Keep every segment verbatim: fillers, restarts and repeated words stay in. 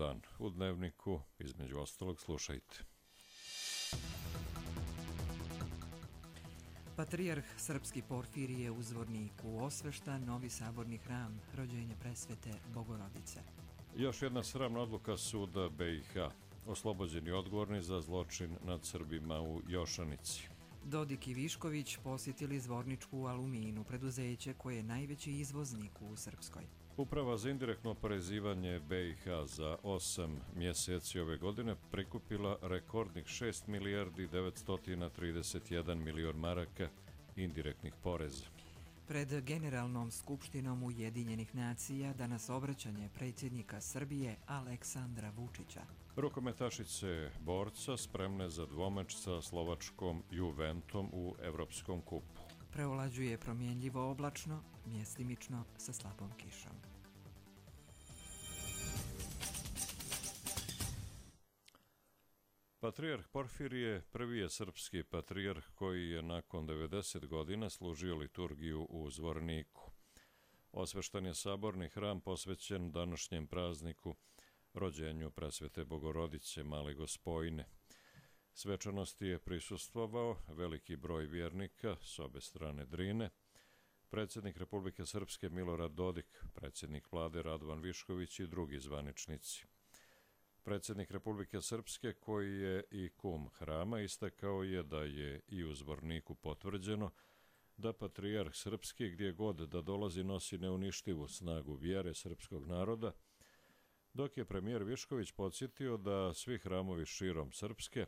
dan. U Dnevniku, između ostalog, slušajte. Patrijarh srpski Porfirije u Zvorniku osvešta novi saborni hram rođenje presvete Bogorodice. Još jedna sramna odluka suda B i H. Oslobođeni odgovorni za zločin nad Srbima u Jošanici. Dodik i Višković posjetili Zvorničku Aluminu, preduzeće koje je najveći izvoznik u Srpskoj. Uprava za indirektno oporezivanje B i H za osam mjeseci ove godine prikupila rekordnih šest milijardi devetsto trideset jedan milion maraka indirektnih poreza. Pred Generalnom skupštinom Ujedinjenih nacija danas obraćanje predsjednika Srbije Aleksandra Vučića. Rukometašice borca spremne za dvomeč sa slovačkom Juventom u Evropskom kupu. Preovlađuje promjenljivo oblačno, mjestimično sa slabom kišom. Patrijarh Porfirije prvi je srpski patrijarh koji je nakon devedeset godina služio liturgiju u Zvorniku. Osveštan je saborni hram posvećen današnjem prazniku rođenju presvete Bogorodice Male Gospojine. Svečanosti je prisustvovao veliki broj vjernika s obe strane Drine, predsjednik Republike Srpske Milorad Dodik, predsjednik vlade Radovan Višković i drugi zvaničnici. Predsjednik Republike Srpske, koji je i kum hrama, istakao je da je i u Zvorniku potvrđeno da patrijarh srpski gdje god da dolazi nosi neuništivu snagu vjere srpskog naroda, dok je premijer Višković podsjetio da svi hramovi širom Srpske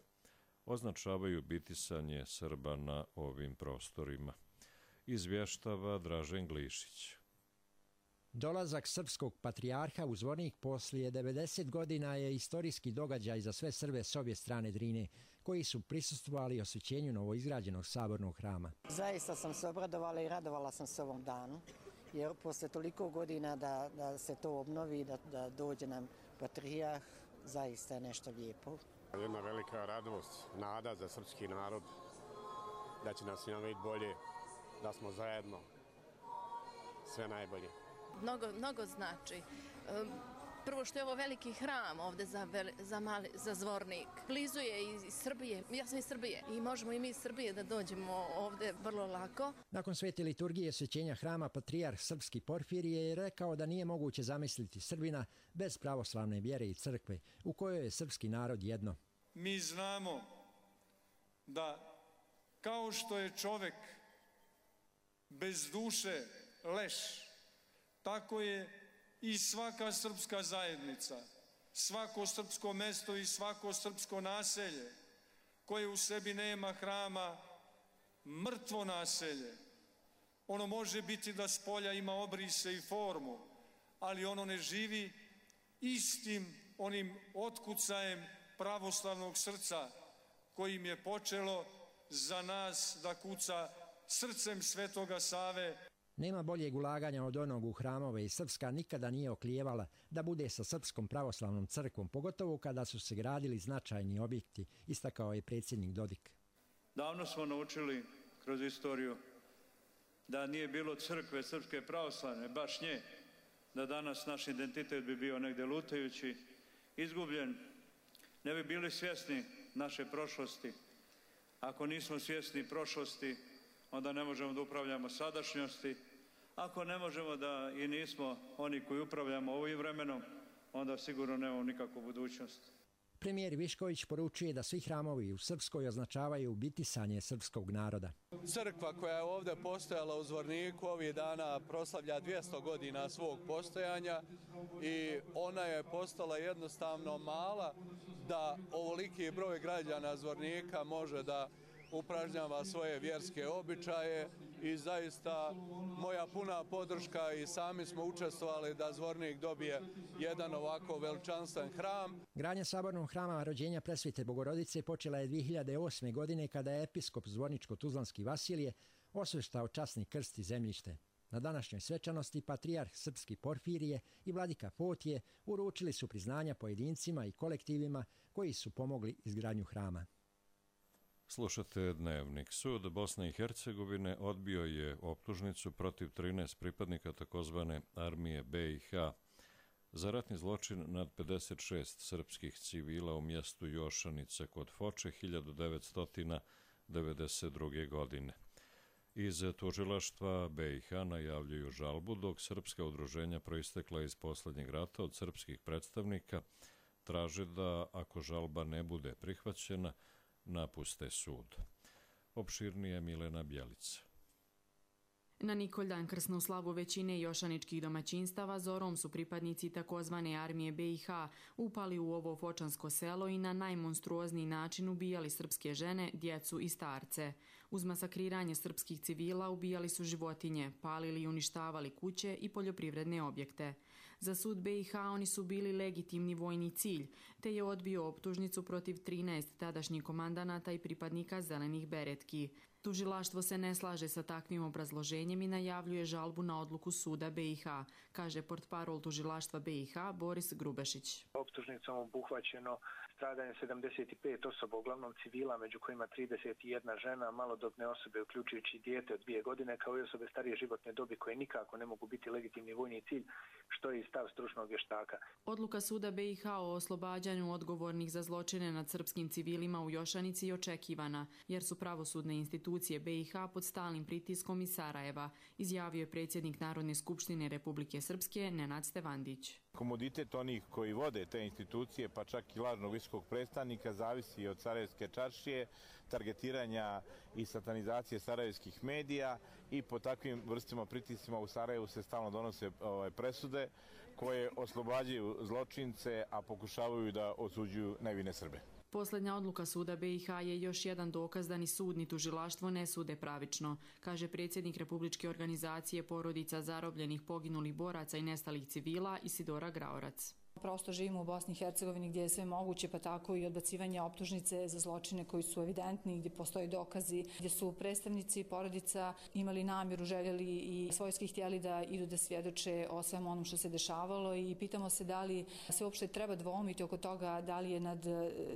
označavaju bitisanje Srba na ovim prostorima. Izvještava Dražen Glišić. Dolazak srpskog patrijarha u Zvornik poslije devedeset godina je istorijski događaj za sve Srbe s obje strane Drine, koji su prisustvovali osvećenju novoizgrađenog sabornog hrama. Zaista sam se obradovala i radovala sam se ovom danu, jer posle toliko godina da, da se to obnovi, da, da dođe nam patrijarh, zaista je nešto lijepo. Jedna velika radost, nada za srpski narod, da će nas svima biti bolje, da smo zajedno, sve najbolje. Mnogo, mnogo znači. Prvo što je ovo veliki hram ovde za, za, mali, za Zvornik. Blizu je iz Srbije, ja sam iz Srbije i možemo i mi iz Srbije da dođemo ovde vrlo lako. Nakon svete liturgije osvećenja hrama patrijarh srpski Porfirije je rekao da nije moguće zamisliti Srbina bez pravoslavne vjere i crkve u kojoj je srpski narod jedno. Mi znamo da kao što je čovek bez duše leš, tako je i svaka srpska zajednica, svako srpsko mesto i svako srpsko naselje koje u sebi nema hrama, mrtvo naselje. Ono može biti da s polja ima obrise i formu, ali ono ne živi istim onim otkucajem pravoslavnog srca kojim je počelo za nas da kuca srcem Svetoga Save. Nema boljeg ulaganja od onog u hramove i Srpska nikada nije oklijevala da bude sa Srpskom pravoslavnom crkvom, pogotovo kada su se gradili značajni objekti, istakao je predsjednik Dodik. Davno smo naučili kroz istoriju da nije bilo crkve Srpske pravoslavne, baš nje, da danas naš identitet bi bio negdje lutajući, izgubljen, ne bi bili svjesni naše prošlosti. Ako nismo svjesni prošlosti, onda ne možemo da upravljamo sadašnjosti. Ako ne možemo da i nismo oni koji upravljamo ovim vremenom, onda sigurno nemamo nikakvu budućnost. Premijer Višković poručuje da svi hramovi u Srpskoj označavaju bitisanje srpskog naroda. Crkva koja je ovdje postojala u Zvorniku ovih dana proslavlja dvjesto godina svog postojanja i ona je postala jednostavno mala da ovoliki broj građana Zvornika može da upražnjava svoje vjerske običaje i zaista moja puna podrška i sami smo učestvovali da Zvornik dobije jedan ovako veličanstven hram. Gradnja sabornog hrama rođenja presvete Bogorodice počela je dvije hiljade osme. godine kada je episkop Zvorničko-Tuzlanski Vasilije osveštao časni krst i zemljište. Na današnjoj svečanosti patrijarh srpski Porfirije i vladika Fotije uručili su priznanja pojedincima i kolektivima koji su pomogli izgradnju hrama. Slušate Dnevnik. Sud Bosne i Hercegovine odbio je optužnicu protiv trinaest pripadnika takozvane armije B i H za ratni zločin nad pedeset šest srpskih civila u mjestu Jošanica kod Foče hiljadu devetsto devedeset druge. godine. Iz tužilaštva B i H najavljuju žalbu, dok srpska udruženja proistekla iz posljednjeg rata od srpskih predstavnika traže da, ako žalba ne bude prihvaćena, napuste sud. Opširnije Milena Bjelica. Na Nikoldan krsnu slavu većine jošaničkih domaćinstava zorom su pripadnici takozvane armije B i H upali u ovo fočansko selo i na najmonstruozniji način ubijali srpske žene, djecu i starce. Uz masakriranje srpskih civila ubijali su životinje, palili i uništavali kuće i poljoprivredne objekte. Za sud B i H oni su bili legitimni vojni cilj, te je odbio optužnicu protiv trinaest tadašnjih komandanata i pripadnika zelenih beretki. Tužilaštvo se ne slaže sa takvim obrazloženjem i najavljuje žalbu na odluku suda B i H, kaže portparol tužilaštva B i H Boris Grubešić. Optužnicom obuhvaćeno stradanje sedamdeset pet osoba, uglavnom civila, među kojima trideset jedna žena, malodobne osobe uključujući dijete od dvije godine, kao i osobe starije životne dobi koje nikako ne mogu biti legitimni vojni cilj, što je i stav stručnog vještaka. Odluka suda B i H o oslobađanju odgovornih za zločine nad srpskim civilima u Jošanici je očekivana, jer su pravosudne institucije B i H pod stalnim pritiskom iz Sarajeva, izjavio je predsjednik Narodne skupštine Republike Srpske Nenad Stevandić. Komoditet onih koji vode te institucije, pa čak i lažnog visokog predstavnika, zavisi od Sarajevske čaršije, targetiranja i satanizacije sarajevskih medija i po takvim vrstama pritiscima u Sarajevu se stalno donose ove presude koje oslobađaju zločince, a pokušavaju da osuđuju nevine Srbe. Posljednja odluka suda B i H je još jedan dokaz da ni sud ni tužilaštvo ne sude pravično, kaže predsjednik Republičke organizacije porodica zarobljenih, poginulih boraca i nestalih civila Isidora Graorac. Prosto živimo u Bosni i Hercegovini gdje je sve moguće, pa tako i odbacivanje optužnice za zločine koji su evidentni, gdje postoje dokazi, gdje su predstavnici porodica imali namjeru, željeli i svojski htjeli da idu da svjedoče o svemu onom što se dešavalo i pitamo se da li se uopšte treba dvoumiti oko toga da li je nad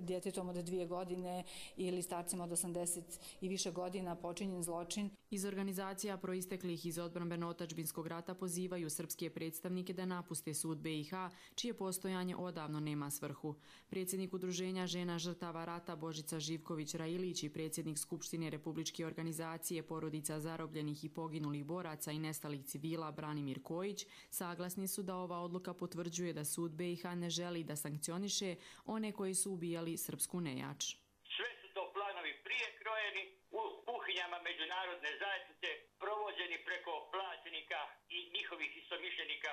djetetom od dvije godine ili starcima od osamdeset i više godina počinjen zločin. Iz organizacija proisteklih iz odbrambeno-otačbinskog rata pozivaju srpske predstavnike da napuste sud B i H, čije postojanje odavno nema svrhu. Predsjednik Udruženja žena žrtava rata Božica Živković-Railić i predsjednik Skupštine Republičke organizacije porodica zarobljenih i poginulih boraca i nestalih civila Branimir Kojić saglasni su da ova odluka potvrđuje da sud B i H ne želi da sankcioniše one koji su ubijali srpsku nejač. Sve su to planovi prije krojeni u kuhinjama međunarodne zajednice, provođeni preko plaćenika i njihovih istomišljenika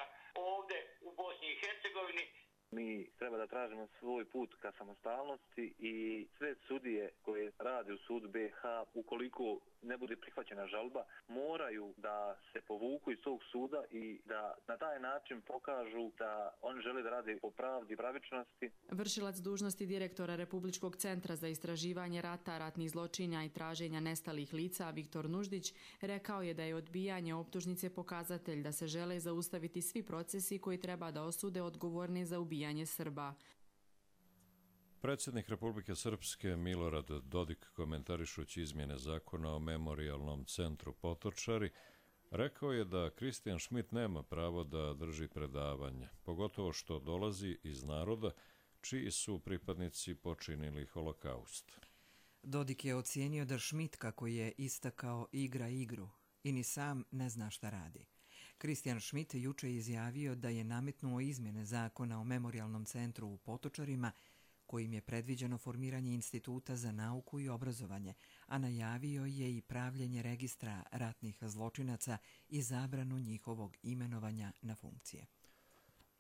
ovdje u Bosni i Hercegovini. Mi treba da tražimo svoj put ka samostalnosti i sve sudije koje rade u sudu B i H, ukoliko ne bude prihvaćena žalba, moraju da se povuku iz tog suda i da na taj način pokažu da oni žele da rade po pravdi i pravičnosti. Vršilac dužnosti direktora Republičkog centra za istraživanje rata, ratnih zločina i traženja nestalih lica Viktor Nuždić rekao je da je odbijanje optužnice pokazatelj da se žele zaustaviti svi procesi koji treba da osude odgovorne za ubijanje Srba. Predsjednik Republike Srpske Milorad Dodik, komentarišući izmjene zakona o memorijalnom centru Potočari, rekao je da Kristijan Šmit nema pravo da drži predavanje, pogotovo što dolazi iz naroda čiji su pripadnici počinili holokaust. Dodik je ocijenio da Šmit, kako je istakao, igra igru i ni sam ne zna šta radi. Kristijan Šmit juče izjavio da je nametnuo izmjene zakona o memorijalnom centru u Potočarima, kojim je predviđeno formiranje instituta za nauku i obrazovanje, a najavio je i pravljenje registra ratnih zločinaca i zabranu njihovog imenovanja na funkcije.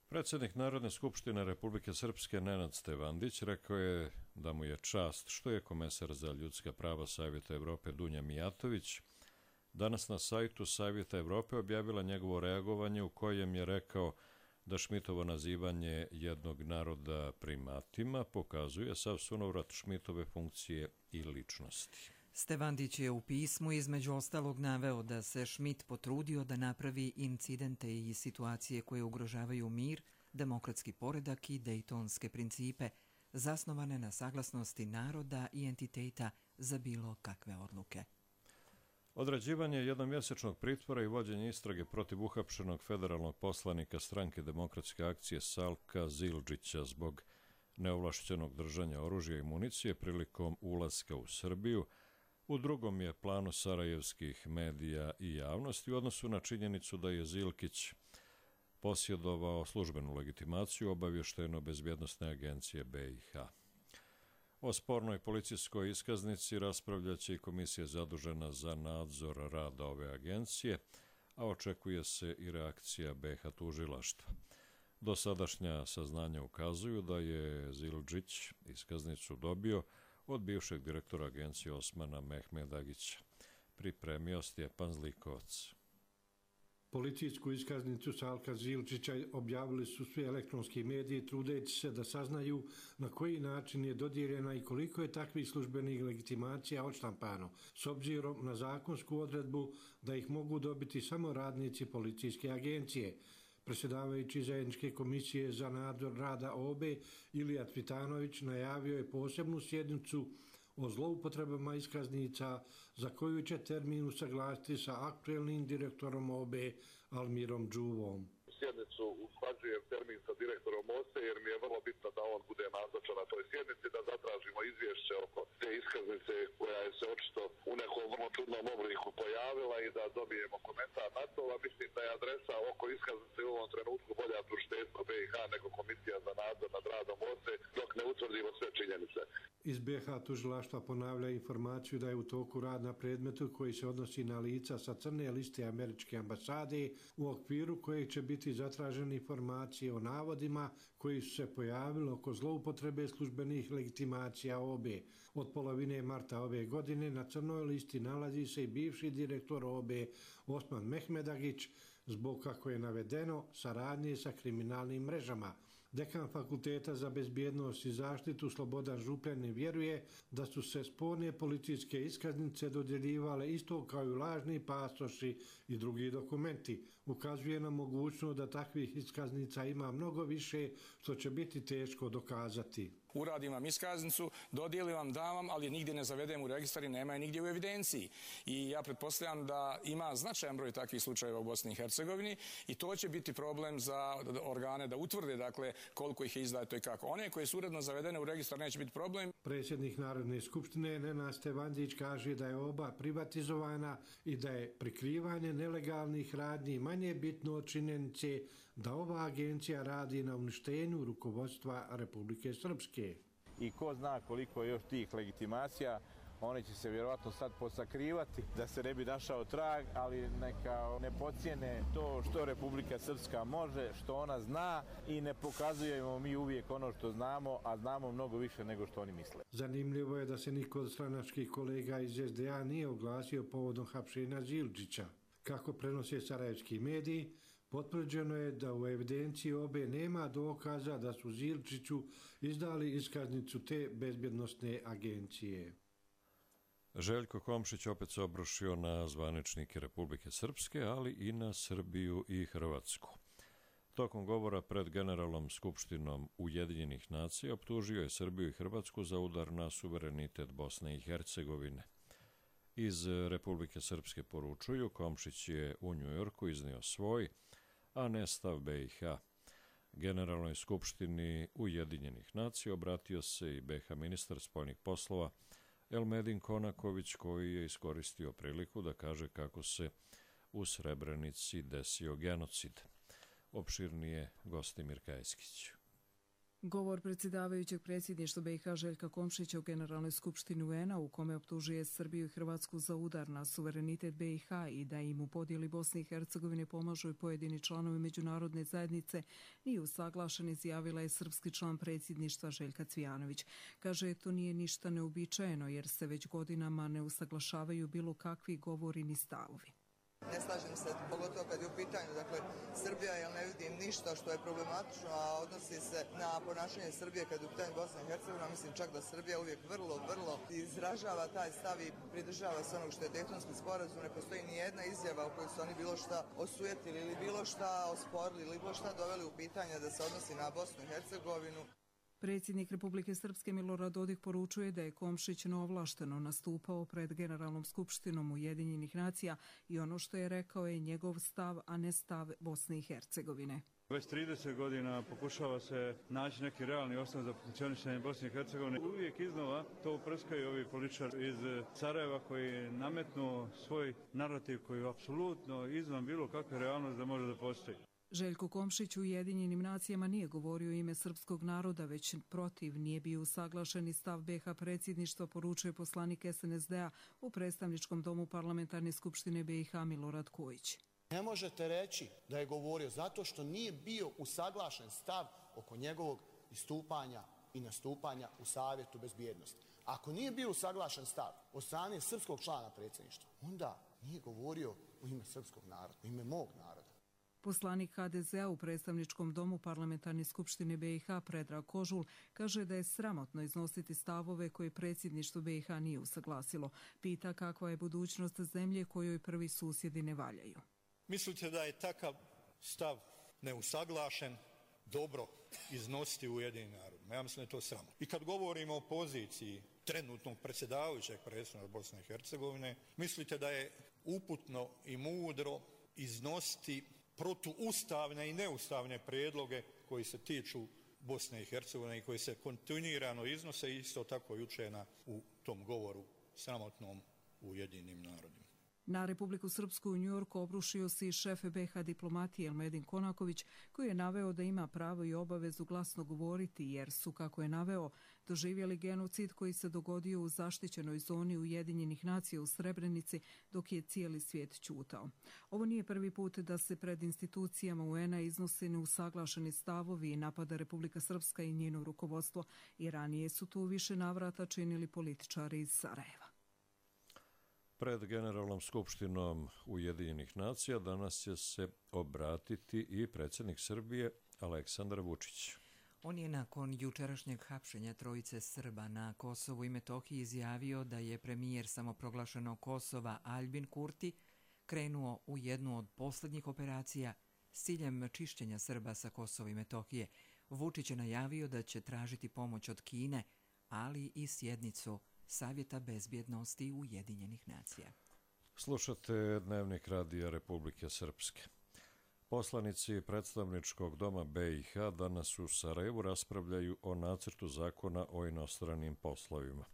Predsjednik Narodne skupštine Republike Srpske Nenad Stevandić rekao je da mu je čast što je komesar za ljudska prava Savjeta Evrope Dunja Mijatović danas na sajtu Savjeta Evrope objavila njegovo reagovanje u kojem je rekao da Šmitovo nazivanje jednog naroda primatima pokazuje sav sunovrat Šmitove funkcije i ličnosti. Stevandić je u pismu između ostalog naveo da se Šmit potrudio da napravi incidente i situacije koje ugrožavaju mir, demokratski poredak i dejtonske principe, zasnovane na saglasnosti naroda i entiteta za bilo kakve odluke. Određivanje jednomjesečnog pritvora i vođenje istrage protiv uhapšenog federalnog poslanika stranke Demokratske akcije Salka Zildžića zbog neovlašćenog držanja oružja i municije prilikom ulaska u Srbiju u drugom je planu sarajevskih medija i javnosti u odnosu na činjenicu da je Zilkić posjedovao službenu legitimaciju obavještajno-bezbjednosne agencije B i H. O spornoj policijskoj iskaznici raspravljaće i komisija zadužena za nadzor rada ove agencije, a očekuje se i reakcija B H tužilaštva. Dosadašnja saznanja ukazuju da je Zildžić iskaznicu dobio od bivšeg direktora agencije Osmana Mehmedagića. Pripremio Stjepan Zlikovac. Policijsku iskaznicu Salka Zildžića objavili su svi elektronski mediji trudeći se da saznaju na koji način je dodijeljena i koliko je takvih službenih legitimacija odštampano, s obzirom na zakonsku odredbu da ih mogu dobiti samo radnici policijske agencije. Predsjedavajući zajedničke komisije za nadzor rada O B E Ilija Cvitanović najavio je posebnu sjednicu o zloupotrebama iskaznica za koju će termin usaglasiti sa aktuelnim direktorom O B E Almirom Džuvom. Sjednicu usklađujem termin sa direktorom O S E jer mi je vrlo bitno da on bude nazočan na toj sjednici, da zatražimo izvješće oko te iskaznice koja je se očito u nekom vrlo čudnom obliku pojavila i da dobijemo komentar na to, a mislim da je adresa oko iskaznice u ovom trenutku bolja tužiteljstvo B i H nego komisija za nadzor nad radom O S E dok ne utvrdimo sve činjenice. Iz B H tužilaštva ponavlja informaciju da je u toku rad na predmetu koji se odnosi na lica sa crne liste američke ambasade u okviru kojeg će biti zatražene informacije o navodima koji su se pojavili oko zloupotrebe službenih legitimacija O B E. Od polovine marta ove godine na crnoj listi nalazi se i bivši direktor O B E Osman Mehmedagić zbog, kako je navedeno, saradnje sa kriminalnim mrežama. Dekan Fakulteta za bezbjednost i zaštitu Slobodan Župljanin vjeruje da su se sporne policijske iskaznice dodjeljivale isto kao i lažni pasoši i drugi dokumenti. Ukazuje na mogućnost da takvih iskaznica ima mnogo više, što će biti teško dokazati. Uradim vam iskaznicu, dodijelim vam, dam vam, ali nigdje ne zavedem u registar i nema je nigdje u evidenciji. I ja pretpostavljam da ima značajan broj takvih slučajeva u Bosni i Hercegovini i to će biti problem za organe da utvrde, dakle, koliko ih je izdato i kako. One koje su uredno zavedene u registar neće biti problem. Predsjednik Narodne skupštine Nenad Stevandić kaže da je oba privatizovana i da je prikrivanje nelegalnih radnji manje bitno od činjenice da ova agencija radi na uništenju rukovodstva Republike Srpske. I ko zna koliko je još tih legitimacija, one će se vjerovatno sad posakrivati da se ne bi našao trag, ali neka ne pocijene to što Republika Srpska može, što ona zna i ne pokazujemo mi uvijek ono što znamo, a znamo mnogo više nego što oni misle. Zanimljivo je da se niko od stranačkih kolega iz S D A nije oglasio povodom hapšenja Zildžića. Kako prenose sarajevski mediji, potvrđeno je da u evidenciji O B E nema dokaza da su Zildžiću izdali iskaznicu te bezbjednosne agencije. Željko Komšić opet se obrušio na zvaničnike Republike Srpske, ali i na Srbiju i Hrvatsku. Tokom govora pred Generalnom skupštinom Ujedinjenih nacija optužio je Srbiju i Hrvatsku za udar na suverenitet Bosne i Hercegovine. Iz Republike Srpske poručuju, Komšić je u Njujorku iznio svoj, a ne stav B i H. Generalnoj skupštini Ujedinjenih nacija obratio se i B H ministar spoljnih poslova Elmedin Konaković, koji je iskoristio priliku da kaže kako se u Srebrenici desio genocid. Opširnije Gostimir Kajskić. Govor predsjedavajućeg predsjedništva B i H Željka Komšića u Generalnoj skupštini U N-a u kome optužuje Srbiju i Hrvatsku za udar na suverenitet B i H i da im u podjeli Bosne i Hercegovine pomažu i pojedini članovi međunarodne zajednice nije usaglašen, izjavila je srpski član predsjedništva Željka Cvijanović. Kaže, to nije ništa neobičajeno jer se već godinama ne usaglašavaju bilo kakvi govori ni stavovi. Ne slažem se, pogotovo kad je u pitanju, dakle, Srbija, jer ne vidim ništa što je problematično, a odnosi se na ponašanje Srbije kad je u pitanju Bosna i Hercegovina. Mislim čak da Srbija uvijek vrlo, vrlo izražava taj stav i pridržava se onog što je Dejtonski sporazum. Ne postoji ni jedna izjava u kojoj su oni bilo šta osujetili ili bilo šta osporili ili bilo šta doveli u pitanje da se odnosi na Bosnu i Hercegovinu. Predsjednik Republike Srpske Milorad Dodik poručuje da je Komšić neovlašteno nastupao pred Generalnom skupštinom Ujedinjenih nacija i ono što je rekao je njegov stav, a ne stav Bosne i Hercegovine. Već trideset godina pokušava se naći neki realni osnov za funkcionisanje Bosne i Hercegovine. Uvijek iznova to uprskaju ovi političari iz Sarajeva koji nametnu svoj narativ koji je apsolutno izvan bilo kakve realnosti da može da postoji. Željko Komšić u Ujedinjenim nacijama nije govorio ime srpskog naroda, već protiv nije bio usaglašeni stav B H predsjedništva, poručuje poslanik S N S D-a u predstavničkom domu Parlamentarne skupštine B i H Milorad Kojić. Ne možete reći da je govorio zato što nije bio usaglašen stav oko njegovog istupanja i nastupanja u Savjetu bezbjednosti. Ako nije bio usaglašen stav od strane srpskog člana predsjedništva, onda nije govorio u ime srpskog naroda, u ime mog naroda. Poslanik H D Z-a u predstavničkom domu Parlamentarne skupštine B i H Predrag Kožul kaže da je sramotno iznositi stavove koje predsjedništvo B i H nije usaglasilo. Pita kakva je budućnost zemlje kojoj prvi susjedi ne valjaju. Mislite da je takav stav neusaglašen dobro iznositi u Ujedinjenim narodima? Ja mislim da je to sramotno. I kad govorimo o poziciji trenutnog predsjedavajućeg predsjednika Bosne i Hercegovine, mislite da je uputno i mudro iznositi protuustavne i neustavne prijedloge koji se tiču Bosne i Hercegovine i koji se kontinuirano iznose isto tako jučer u tom govoru sramotnom u Ujedinjenim narodima. Na Republiku Srpsku u Njujorku obrušio se i šef B H diplomatije Elmedin Konaković, koji je naveo da ima pravo i obavezu glasno govoriti jer su, kako je naveo, doživjeli genocid koji se dogodio u zaštićenoj zoni Ujedinjenih nacija u Srebrenici dok je cijeli svijet ćutao. Ovo nije prvi put da se pred institucijama U N-a iznose neusaglašeni stavovi i napada Republika Srpska i njeno rukovodstvo i ranije su tu više navrata činili političari iz Sarajeva. Pred Generalnom skupštinom Ujedinjenih nacija danas će se obratiti i predsjednik Srbije Aleksandar Vučić. On je nakon jučerašnjeg hapšenja trojice Srba na Kosovu i Metohiji izjavio da je premijer samoproglašenog Kosova Aljbin Kurti krenuo u jednu od posljednjih operacija s ciljem čišćenja Srba sa Kosova i Metohije. Vučić je najavio da će tražiti pomoć od Kine, ali i sjednicu Savjeta bezbjednosti Ujedinjenih nacija. Slušate Dnevnik radija Republike Srpske. Poslanici predstavničkog doma B i H danas u Sarajevu raspravljaju o nacrtu zakona o inostranim poslovima.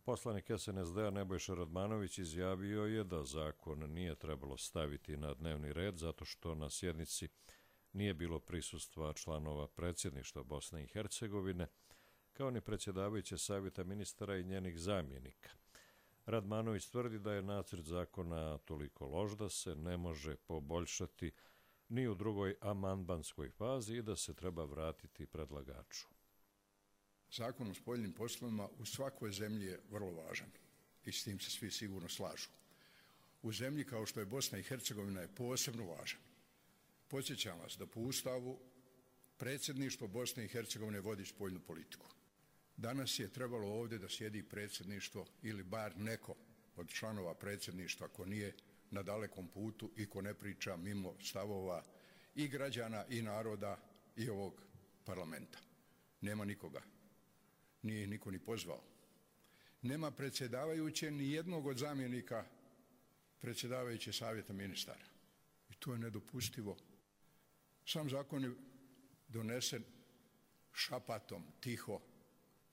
Poslanik S N S D-a Nebojša Radmanović izjavio je da zakon nije trebalo staviti na dnevni red zato što na sjednici nije bilo prisustva članova predsjedništva Bosne i Hercegovine, kao ni predsjedavajuće savjeta ministara i njenih zamjenika. Radmanović tvrdi da je nacrt zakona toliko loš da se ne može poboljšati ni u drugoj amandmanskoj fazi i da se treba vratiti predlagaču. Zakon o spoljnim poslovima u svakoj zemlji je vrlo važan i s tim se svi sigurno slažu. U zemlji kao što je Bosna i Hercegovina je posebno važan. Podsjećam vas da po Ustavu predsjedništvo Bosne i Hercegovine vodi spoljnu politiku. Danas je trebalo ovdje da sjedi predsjedništvo ili bar neko od članova predsjedništva ko nije na dalekom putu i ko ne priča mimo stavova i građana i naroda i ovog parlamenta. Nema nikoga. Nije ih niko ni pozvao. Nema predsjedavajuće ni jednog od zamjenika predsjedavajuće savjeta ministara. I to je nedopustivo. Sam zakon je donesen šapatom, tiho.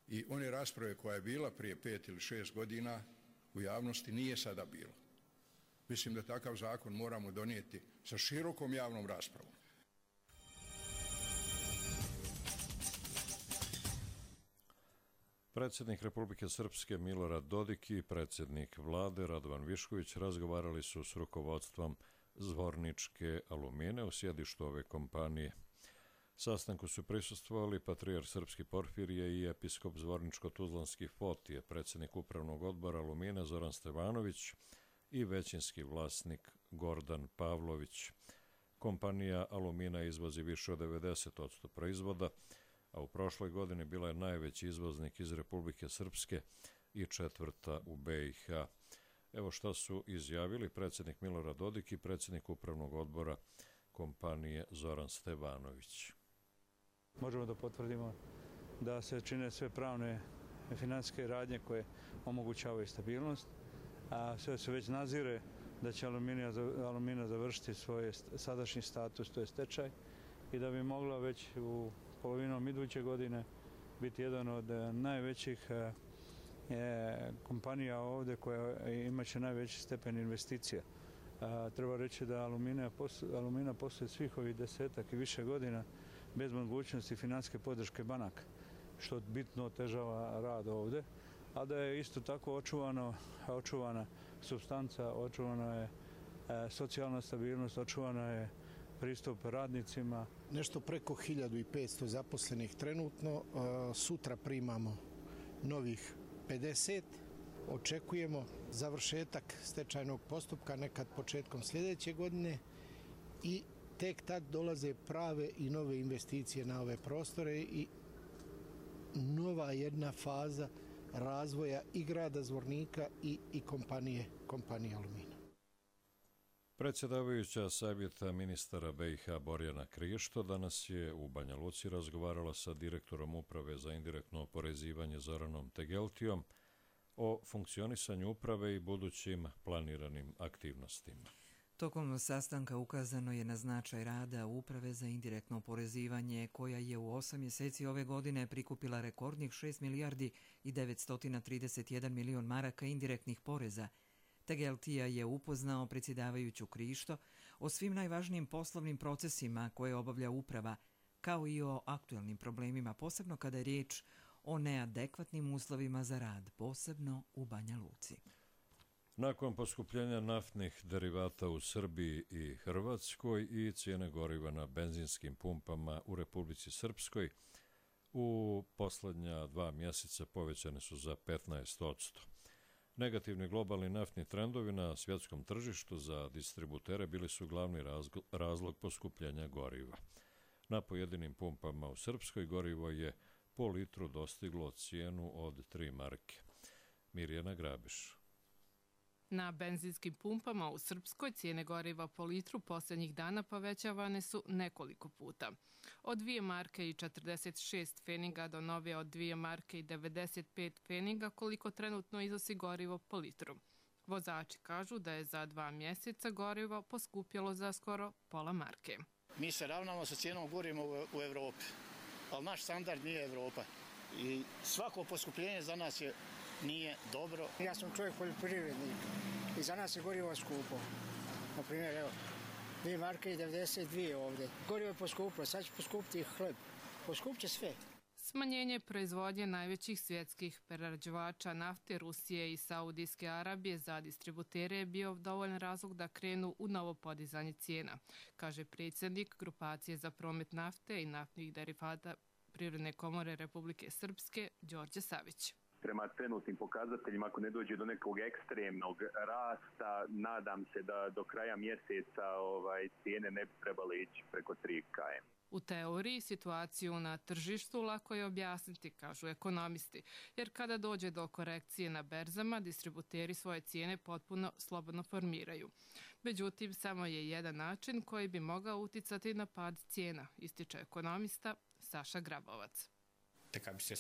I one rasprave koja je bila prije pet ili šest godina u javnosti nije sada bilo. Mislim da takav zakon moramo donijeti sa širokom javnom raspravom. Predsjednik Republike Srpske Milorad Dodik i predsjednik vlade Radovan Višković razgovarali su s rukovodstvom Zvorničke Alumine u sjedištu ove kompanije. Sastanku su prisustvovali patrijarh Srpski Porfirije i episkop Zvorničko-Tuzlanski Fotije, predsjednik upravnog odbora Alumine Zoran Stevanović i većinski vlasnik Gordan Pavlović. Kompanija Alumina izvozi više od devedeset posto proizvoda, a u prošloj godini bila je najveći izvoznik iz Republike Srpske i četvrta u B i H. Evo šta su izjavili predsjednik Milorad Dodik i predsjednik upravnog odbora kompanije Zoran Stevanović. Možemo da potvrdimo da se čine sve pravne financijske radnje koje omogućavaju stabilnost, a sve se već nazire da će Aluminija, Alumina završiti svoj sadašnji status, to je stečaj, i da bi mogla već u polovinom iduće godine biti jedan od najvećih je, kompanija ovdje koja imaće najveći stepen investicija. A, treba reći da Alumina, Alumina postoje svih ovih desetak i više godina bez mogućnosti financijske podrške banaka, što bitno otežava rad ovdje, a da je isto tako očuvano, očuvana supstanca, očuvana je e, socijalna stabilnost, očuvana je pristup radnicima. Nešto preko hiljadu i petsto zaposlenih trenutno, sutra primamo novih pedeset, očekujemo završetak stečajnog postupka nekad početkom sljedeće godine i tek tad dolaze prave i nove investicije na ove prostore i nova jedna faza razvoja i grada Zvornika i, i kompanije, kompanije Alumina. Predsjedavajuća savjeta ministara B i H Borjana Krišto danas je u Banja Luci razgovarala sa direktorom Uprave za indirektno oporezivanje Zoranom Tegeltijom o funkcionisanju uprave i budućim planiranim aktivnostima. Tokom sastanka ukazano je na značaj rada Uprave za indirektno oporezivanje, koja je u osam mjeseci ove godine prikupila rekordnih šest milijardi i devetsto trideset jedan milion maraka indirektnih poreza. Tegeltija je upoznao predsjedavajuću Krišto o svim najvažnijim poslovnim procesima koje obavlja uprava, kao i o aktuelnim problemima, posebno kada je riječ o neadekvatnim uslovima za rad, posebno u Banja Luci. Nakon poskupljenja naftnih derivata u Srbiji i Hrvatskoj i cijene goriva na benzinskim pumpama u Republici Srpskoj, u posljednja dva mjeseca povećane su za petnaest posto. Negativni globalni naftni trendovi na svjetskom tržištu za distributere bili su glavni razlog poskupljenja goriva. Na pojedinim pumpama u Srpskoj gorivo je po litru dostiglo cijenu od tri marke. Mirjana Grabiš. Na benzinskim pumpama u Srpskoj cijene goriva po litru posljednjih dana povećavane su nekoliko puta. Od dvije marke i četrdeset šest pfeniga do nove od dvije marke i devedeset pet pfeniga koliko trenutno iznosi gorivo po litru. Vozači kažu da je za dva mjeseca gorivo poskupjelo za skoro pola marke. Mi se ravnamo sa cijenom goriva u Evropi, ali naš standard nije Evropa. I svako poskupljenje za nas je nije dobro. Ja sam čovjek poljoprivrednik i za nas je gorivo skupo. Na primjer, evo, dvije marke i devedeset dvije ovdje. Gorivo je poskupilo, sad će poskupiti i hleb. Poskup će sve. Smanjenje proizvodnje najvećih svjetskih prerađivača nafte Rusije i Saudijske Arabije za distributere je bio dovoljan razlog da krenu u novo podizanje cijena, kaže predsjednik Grupacije za promet nafte i naftnih derivata Privredne komore Republike Srpske, Đorđe Savić. Prema trenutnim pokazateljima, ako ne dođe do nekog ekstremnog rasta, nadam se da do kraja mjeseca ovaj, cijene ne bi trebale ići preko tri kilometara. U teoriji situaciju na tržištu lako je objasniti, kažu ekonomisti, jer kada dođe do korekcije na berzama, distributeri svoje cijene potpuno slobodno formiraju. Međutim, samo je jedan način koji bi mogao uticati na pad cijena, ističe ekonomista Saša Grabovac. Kad bi se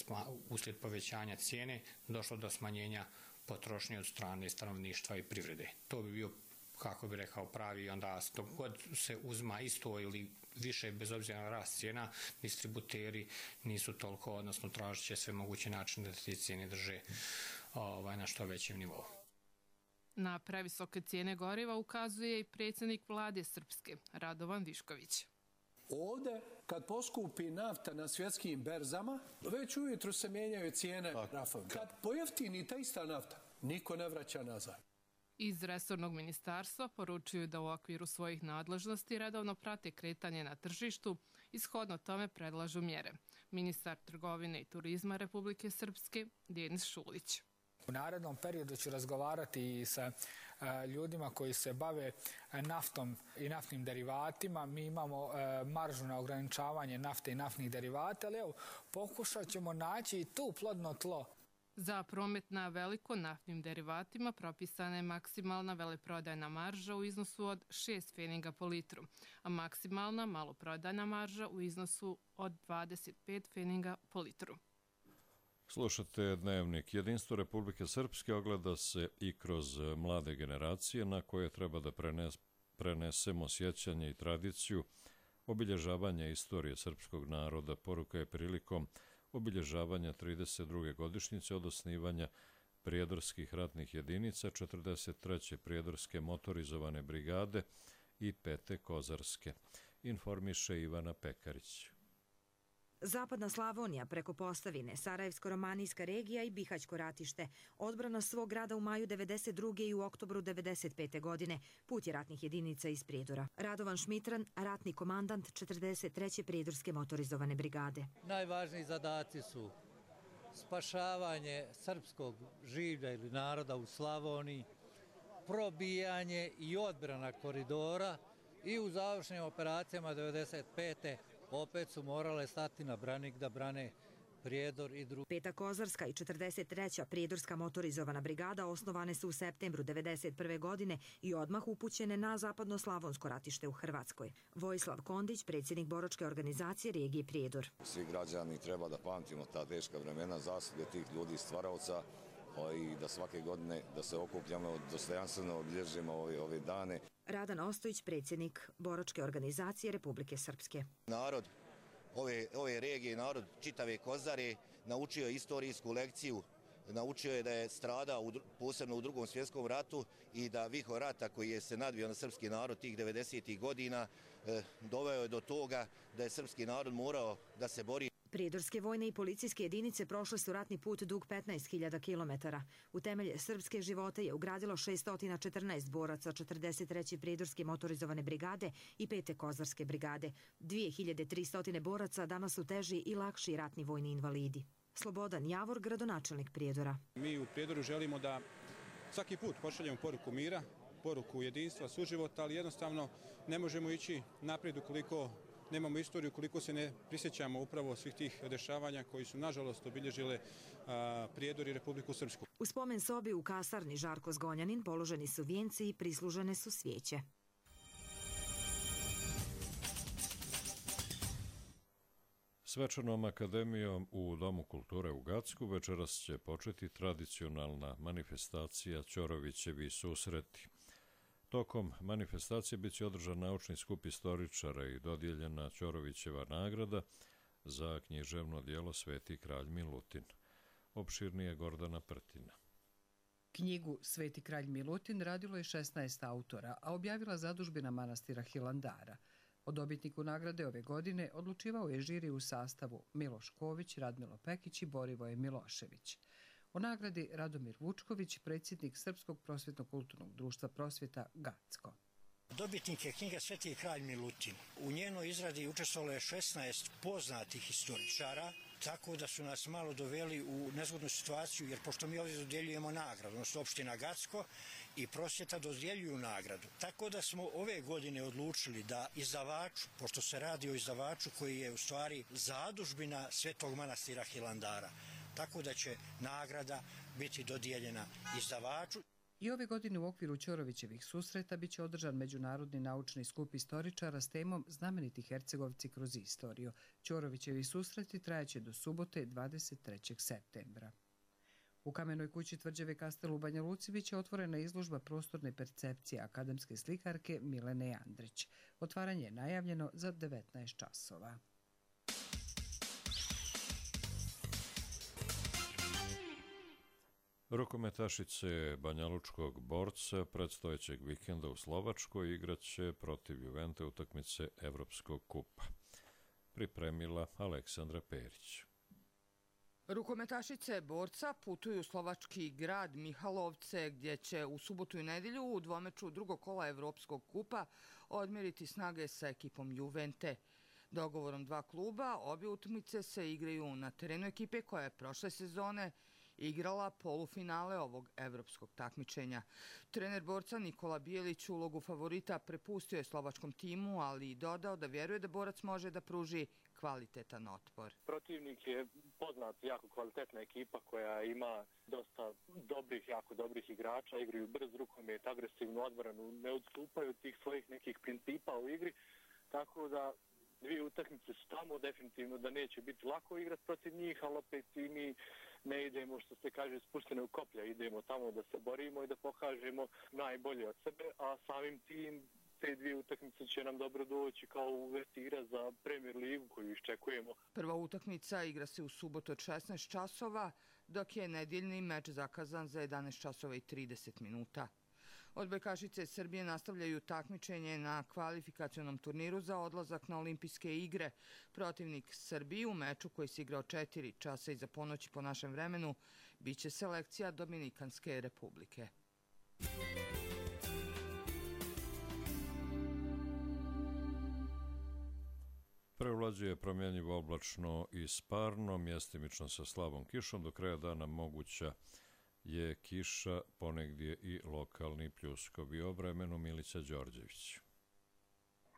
uslijed povećanja cijene došlo do smanjenja potrošnje od strane stanovništva i privrede. To bi bio, kako bi rekao, pravi, onda dok god se uzma isto ili više bez obzira na rast cijena, distributeri nisu toliko, odnosno tražit će sve moguće načine da te cijene drže ovaj, na što većem nivou. Na previsoke cijene goriva ukazuje i predsjednik vlade Srpske, Radovan Višković. Ovdje, kad poskupi nafta na svjetskim berzama, već ujutru se mijenjaju cijene nafte. Kad pojeftini ta ista nafta, niko ne vraća nazad. Iz resornog ministarstva poručuju da u okviru svojih nadležnosti redovno prate kretanje na tržištu i shodno tome predlažu mjere. Ministar trgovine i turizma Republike Srpske, Denis Šulić. U narednom periodu ću razgovarati i sa ljudima koji se bave naftom i naftnim derivatima. Mi imamo maržu na ograničavanje nafte i naftnih derivata, ali evo, pokušat ćemo naći i tu plodno tlo Za promet na veliko naftnim derivatima propisana je maksimalna veleprodajna marža u iznosu od šest pfeniga po litru, a maksimalna maloprodajna marža u iznosu od dvadeset pet pfeniga po litru. Slušate Dnevnik. Jedinstvo Republike Srpske ogleda se i kroz mlade generacije na koje treba da prenes, prenesemo sjećanje i tradiciju obilježavanja istorije srpskog naroda. Poruka je prilikom obilježavanja trideset druge godišnjice od osnivanja prijedorskih ratnih jedinica, četrdeset treće prijedorske motorizovane brigade i pete kozarske, informiše Ivana Pekarić. Zapadna Slavonija preko Posavine, Sarajevsko-romanijska regija i Bihaćko ratište, odbrana svog grada u maju devedeset druge i u oktobru devedeset pete godine, put je ratnih jedinica iz Prijedora. Radovan Šmitran, ratni komandant četrdeset treće prijedorske motorizovane brigade. Najvažniji zadaci su spašavanje srpskog življa ili naroda u Slavoniji, probijanje i odbrana koridora i u završnim operacijama devedeset pete opet su morale stati na branik da brane Prijedor i drugi. Peta kozarska i četrdeset treća prijedorska motorizovana brigada osnovane su u septembru devedeset prve godine i odmah upućene na zapadno-slavonsko ratište u Hrvatskoj. Vojislav Kondić, predsjednik boračke organizacije regije Prijedor. Svi građani treba da pamtimo ta teška vremena, zasluge tih ljudi stvaraoca i da svake godine da se okupljamo, dostojanstveno obilježimo ove, ove dane. Radan Ostojić, predsjednik boračke organizacije Republike Srpske. Narod ove, ove regije, narod čitave Kozare naučio je istorijsku lekciju, naučio je da je stradao u, posebno u drugom svjetskom ratu i da vihor rata koji je se nadvio na srpski narod tih devedesetih godina eh, doveo je do toga da je srpski narod morao da se bori. Prijedorske vojne i policijske jedinice prošle su ratni put dug petnaest hiljada kilometara. U temelje srpske živote je ugradilo šessto četrnaest boraca četrdeset treće prijedorske motorizovane brigade i pete kozarske brigade. dvije hiljade tristo boraca danas su teži i lakši ratni vojni invalidi. Slobodan Javor, gradonačelnik Prijedora. Mi u Prijedoru želimo da svaki put pošaljemo poruku mira, poruku jedinstva, suživota, ali jednostavno ne možemo ići naprijed ukoliko nemamo istoriju, koliko se ne prisjećamo upravo svih tih dešavanja koji su nažalost obilježile a, Prijedor i Republiku Srpsku. U spomen sobi u kasarni Žarko Zgonjanin položeni su vijenci i prislužene su svijeće. Svečanom akademijom u Domu kulture u Gacku večeras će početi tradicionalna manifestacija Ćorovićevi susreti. Tokom manifestacije bit će održan naučni skup istoričara i dodijeljena Ćorovićeva nagrada za književno djelo Sveti kralj Milutin. Opširnije Gordana Prtina. Knjigu Sveti kralj Milutin radilo je šesnaest autora, a objavila zadužbina manastira Hilandara. O dobitniku nagrade ove godine odlučivao je žiri u sastavu Miloš Ković, Radmilo Pekić i Borivoje Milošević. O nagradi Radomir Vučković, predsjednik Srpskog prosvjetno-kulturnog društva Prosvjeta Gacko. Dobitnik je knjiga Sveti kralj Milutin. U njenoj izradi učestvovalo je šesnaest poznatih historičara, tako da su nas malo doveli u nezgodnu situaciju, jer pošto mi ovdje dodjeljujemo nagradu, odnosno opština Gacko i Prosvjeta dodjeljuju nagradu. Tako da smo ove godine odlučili da izdavaču, pošto se radi o izdavaču koji je u stvari zadužbina Svetog manastira Hilandara, tako da će nagrada biti dodijeljena izdavaču. I ove godine u okviru Ćorovićevih susreta biće održan međunarodni naučni skup istoričara s temom Znameniti Hercegovci kroz istoriju. Ćorovićevi susreti trajaće do subote dvadeset trećeg septembra. U Kamenoj kući tvrđave Kastel u Banja Luci biće otvorena izložba prostorne percepcije akademske slikarke Milene Andrić. Otvaranje je najavljeno za devetnaest časova. Rukometašice banjalučkog Borca predstojećeg vikenda u Slovačkoj igraće protiv Juvente utakmice Evropskog kupa. Pripremila Aleksandra Perić. Rukometašice Borca putuju u slovački grad Mihalovce, gdje će u subotu i nedjelju u dvomeču drugog kola Evropskog kupa odmjeriti snage sa ekipom Juvente. Dogovorom dva kluba, obje utakmice se igraju na terenu ekipe koja je prošle sezone igrala polufinale ovog evropskog takmičenja. Trener Borca Nikola Bijelić ulogu favorita prepustio je slovačkom timu, ali i dodao da vjeruje da Borac može da pruži kvalitetan otpor. Protivnik je poznat, jako kvalitetna ekipa koja ima dosta dobrih, jako dobrih igrača, igraju brz rukomet, agresivnu odbranu, ne odstupaju od tih svojih nekih principa u igri, tako da dvije utakmice su tamo, definitivno da neće biti lako igrati protiv njih, ali opet i mi ne idemo, što se kaže, spuštene u koplja, idemo tamo da se borimo i da pokažemo najbolje od sebe, a samim tim te dvije utakmice će nam dobro doći kao uvertira za Premier ligu koju iščekujemo. Prva utakmica igra se u subotu od šesnaest časova, dok je nedjeljni meč zakazan za jedanaest časova i trideset minuta. Odbojkašice Srbije nastavljaju takmičenje na kvalifikacionom turniru za odlazak na olimpijske igre. Protivnik Srbiji u meču koji se igrao četiri časa iza ponoći po našem vremenu biće selekcija Dominikanske republike. Prevlađuje promjenjivo oblačno i sparno, mjestimično sa slabom kišom. Do kraja dana moguća je kiša, ponegdje i lokalni pljuskovi. O vremenu Milica Đorđević.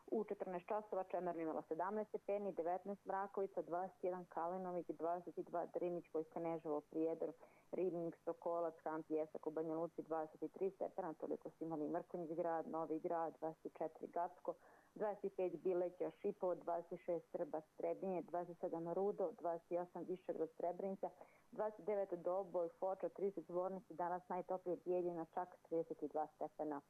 U četrnaest časova Čemer imala sedamnaest stepeni, devetnaest Mrakovica, dvadeset jedan Kalinović, dvadeset dva Drinić, Vojskaneževo, Prijedor, Ribnik, Sokolac, Han Pjesak u Banja Luci, dvadeset tri stepena, toliko su imali Mrkonjić grad, Novi grad, dvadeset četiri Gacko, dvadeset pet Bileća, Šipovo, dvadeset šest Srba, Strebinje, dvadeset sedam Rudo, dvadeset osam Višegrad, Srebrenica, dvadeset devet Doboj, Foča, trideset Zvornici, danas najtoplije Bijeljina, čak trideset dva stepena.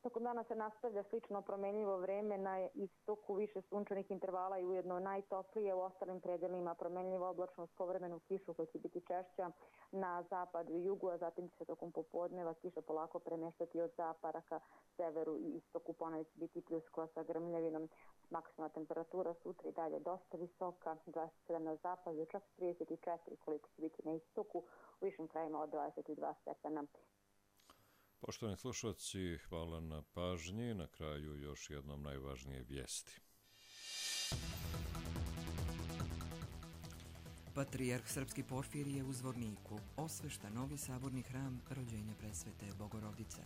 Tokom dana se nastavlja slično promenljivo vreme, na istoku više sunčanih intervala i ujedno najtoplije, u ostalim predelima promenljivo oblačno s povremenu kišu koja će biti češća na zapadu i jugu, a zatim će se tokom popodneva kiša polako premještati od zapada ka severu i istoku, ponavlja će biti pljuskova sa grmljavinom. Maksimalna temperatura sutra i dalje dosta visoka, dvadeset sedam na zapadu, čak trideset četiri koliko će biti na istoku, u višim krajima od dvadeset dva stepena. Poštovani slušalci, hvala na pažnji. Na kraju još jednom najvažnije vijesti. Patrijarh srpski Porfirije u Zvorniku osvešta novi saborni hram rođenja presvete Bogorodice.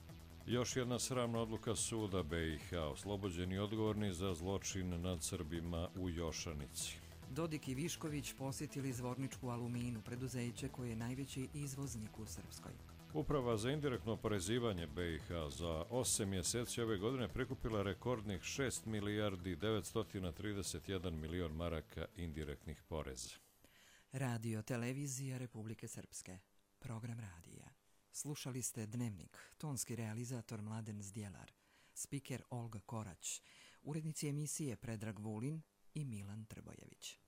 Još jedna sramna odluka suda B i H. Oslobođeni odgovorni za zločin nad Srbima u Jošanici. Dodik i Višković posjetili Zvorničku Aluminu, preduzeće koje je najveći izvoznik u Srpskoj. Uprava za indirektno oporezivanje B i H za osam mjeseci ove godine prikupila rekordnih šest milijardi devetsto trideset jedan milion maraka indirektnih poreza. Radio Televizija Republike Srpske. Program radija. Slušali ste Dnevnik, tonski realizator Mladen Zdjelar, spiker Olga Korać, urednici emisije Predrag Vulin i Milan Trbojević.